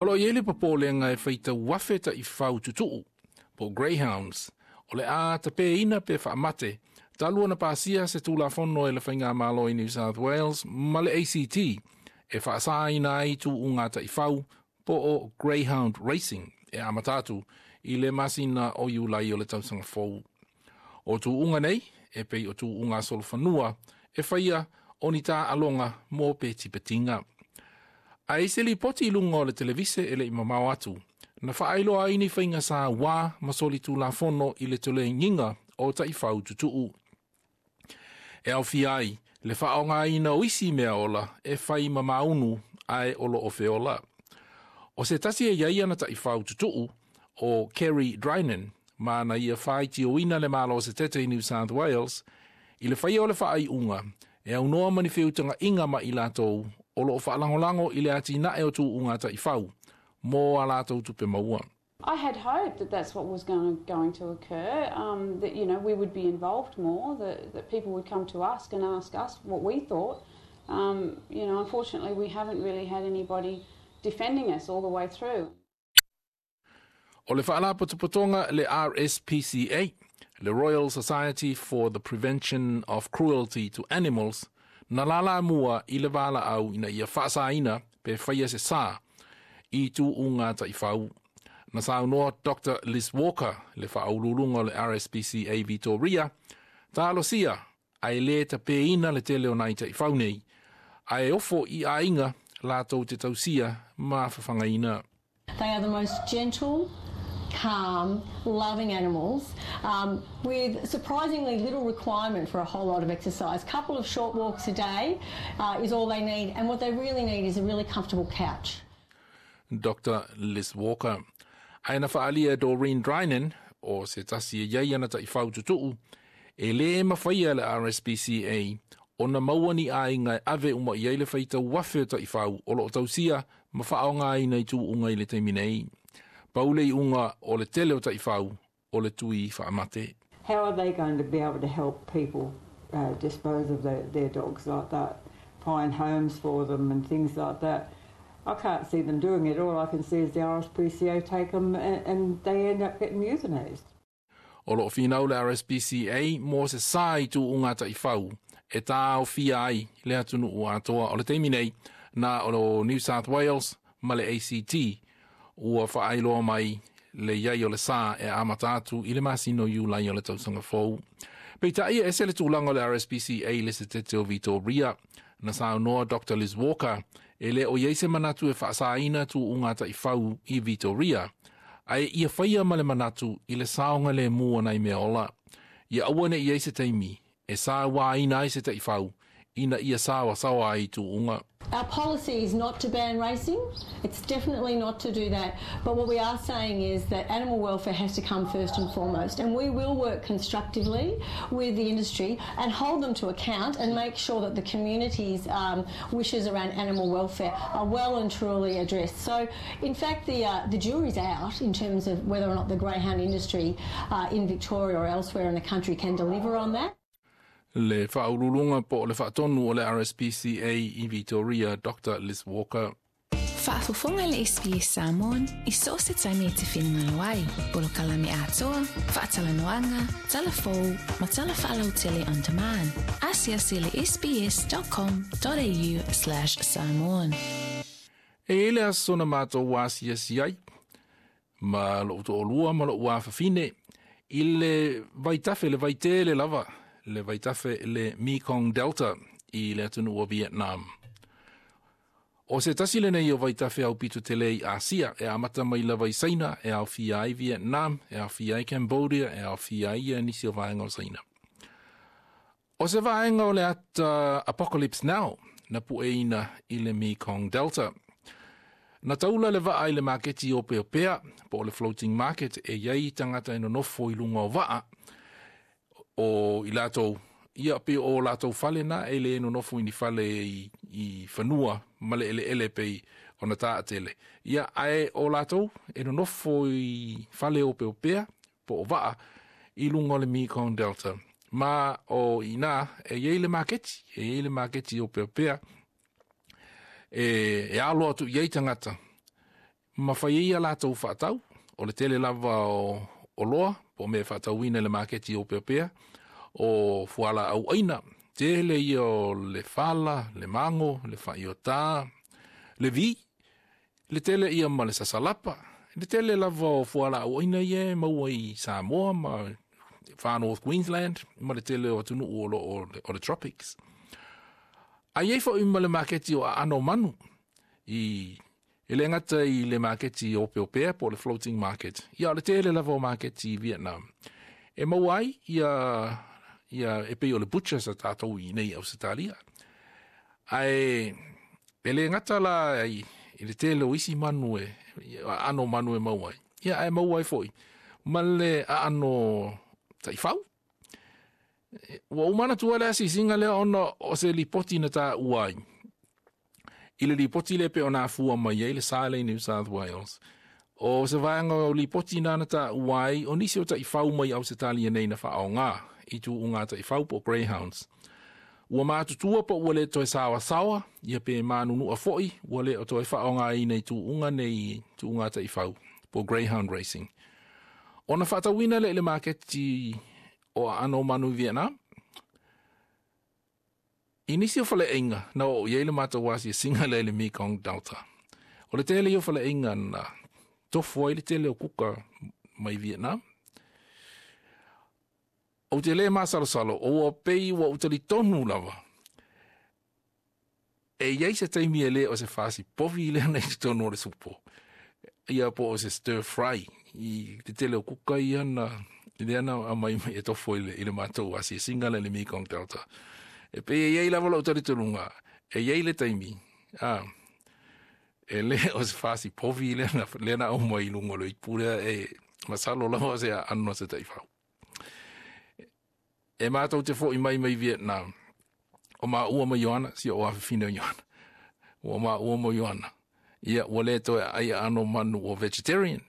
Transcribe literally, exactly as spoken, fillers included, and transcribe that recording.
O lo o i ai le popolega e faitau afe taifau tutuu po o Greyhounds o le a tapeina pe faamate talu ona pasia se Tulafono e le Faigamalo i New South Wales ma le A C T e faasaina ai tuuga taifau po o Greyhound Racing e amata atu i le masina o Iulai o le tausaga fou. O tuuga nei e pei o tuuga solofanua e faia o ni taaloga mo petipetiga. Ae i se lipoti i luga o le televise e le i mamao atu, na faailoa ai ni faiga sauā ma solitulafono i le tolegiga o taifau tutuu. E aofia ai le faaaogaina o isi mea ola e fai ma maunu ae o loo feola. O se tasi e iai ana taifau tutuu o Kerry Drynan, ma na ia faitioina le malo setete i New South Wales, i le faia o le faaiuga e aunoa ma ni feutagaiga ma i latou o loo faalagolago i le atinae o tuuga taifau mo a latou tupe maua. I had hoped that that's what was going, going to occur, um, that, you know, we would be involved more, that, that people would come to us and ask us what we thought. Um, you know, unfortunately, we haven't really had anybody defending us all the way through. O le faalapotopotoga le R S P C A, le Royal Society for the Prevention of Cruelty to Animals, na lala mua i le vala au ina ia faasaina pe faia se sa i tuuga taifau. Na saunoa Doctor Liz Walker, le faauluuluga o le R S P C A Victoria, talosia ae le tapeina le tele o nai taifau nei, ae ofo i aiga latou te tausia ma fafagaina. They are the most gentle, calm, loving animals, um, with surprisingly little requirement for a whole lot of exercise. Couple of short walks a day, uh, is all they need, and what they really need is a really comfortable couch. Doctor Liz Walker. Ae na faalia Doreen Drynan, o se tasi e iai ana taifau tutuu, e le mafaia le R S P C A ona maua ni aiga e ave uma i ai le faitau afe o taifau o loo tausia ma faaaogaina i tuuga i le taimi nei. Paule i unga o le tele o taifau o le tui faamate. How are they going to be able to help people, uh, dispose of their, their dogs like that, find homes for them and things like that? I can't see them doing it. All I can see is the R S P C A take them and, and they end up getting euthanized. O loo finau le R S P C A mo se sa i tuuga taifau e tāofia ai le atunuu atoa o le taimi nei na o lo New South Wales ma le A C T ua faailoa mai le iai o le sa e amata atu i le masina o Iulai o le tausaga fou. Peitai e ese le tulaga o le R S P C A le setete o Victoria, na saunoa Doctor Liz Walker e le o iai se manatu e faasaina tuuga taifau i Victoria, ae ia faia ma le manatu i le saoga le mua nai mea ola. Ia aua ne i ai se taimi e sauaina ai se taifau ina ia sawasawa ai tuuga. Our policy is not to ban racing. It's definitely not to do that. But what we are saying is that animal welfare has to come first and foremost. And we will work constructively with the industry and hold them to account and make sure that the community's, um, wishes around animal welfare are well and truly addressed. So, in fact, the, uh, the jury's out in terms of whether or not the greyhound industry, uh, in Victoria or elsewhere in the country can deliver on that. Le faauluuluga po o le faatonu o le R S P C A i Victoria, Doctor Liz Walker. Faafofoga le S B S Samoan i so o se taimi e te finagalo ai. Polokalame atoa, faatalanoaga, talafou ma tala faalautele on demand. Asiasi le S B S dot com dot A U slash Samoan. E ele aso na mātou asiasi ai, ma lou to'olua ma lou afafine, i le vaitafe le vaitele lava, le vaitafe le Mekong Delta i le atunuu o Vietnam. O se tasi lenei o vaitafe au pito tele i Asia, e amata mai lava i Saina, e aofia ai Vietnam, e aofia ai Cambodia, e aofia ai ia nisi o vaega o Saina. O se vaega o le ata Apocalypse Now, na pueina i le Mekong Delta. Na taula le vaa i le maketi o Peopea, po o le floating market, e iai tangata e nonofo i lunga o vaa, o i latou, ia pe o latou fale na e le nonofo i ni fale i, i fanua ma le ele ele pei o na taatele. Ia ae o latou e nonofo i fale o Peopea, po o vaa, i lunga o le Mekong Delta. Ma o ina e iai le maketi, e iai le maketi o Peopea, e, e alo atu i ai tangata Ma fai ai a latou faatau, o le tele lava o oloa, po o mea e faatauina i le maketi opeopea, o fualaau aina, tele ia o le fala, le mago, le faaiotā, le vī, le tele ia ma le sasalapa, le tele lava o fualaau aina ia e maua i Samoa ma Far North Queensland ma le tele o atunuu o loo o le tropics. Ae i ai foi ma le maketi o aano o manu i e le gata i le maketi opeopea po o le floating market, ia o le tele lava o maketi i Vietnam e maua ai ia ia e pei o le butchers a tatou i inei i Ausetalia. Ae e le gata la i le tele o isi manu e aano o manu e maua ai, ia ae maua ai foi ma le aano taifau. Ua ou manatua le asiasiga lea ona o se lipoti na taua ai i le lipoti lea pei ona afua mai ai le sa lea i New South Wales. O se vaega o lipoti na na taua ai o nisi o taifau mai Ausetalia nei na faaaoga i tuuga taifau po o greyhounds. Ua matutua po ua le toe saoasaoa, ia pe manunua foi, ua le o toe faaaogaina i tuuga nei tuuga taifau po o greyhound racing. Ona faatauina lea i le maketi o aano o manu i Vietnam. I nisi o faleaiga na oo i ai le matou asiasiga lea i le Mekong Delta, o le tele ia o faleaiga na tofo ai le tele o kuka mai Vietnam. Ou te le masalosalo, o ua pei ua ou talitonu lava e i ai se taimi e le o se fasi povi lea na i totonu o le supo, ia po o se stir fry i te tele o kuka ia na lea na aumai mai e tofo i le, i le matou asiasiga lea i le Mekong Delta. E pei e i ai lava lou talitonuga, e i ai le taimi, a, e le o se fasi povi lea na, lea na aumai i luga o le ipu lea, e masalo lava o se aano a se taifau. E matou te foi mai mai Vietnam, o maua ma Ioana, si o afafine o Ioana, ua maua ma Ioana, ia ua le toe aai aano o manu ua vegetarian.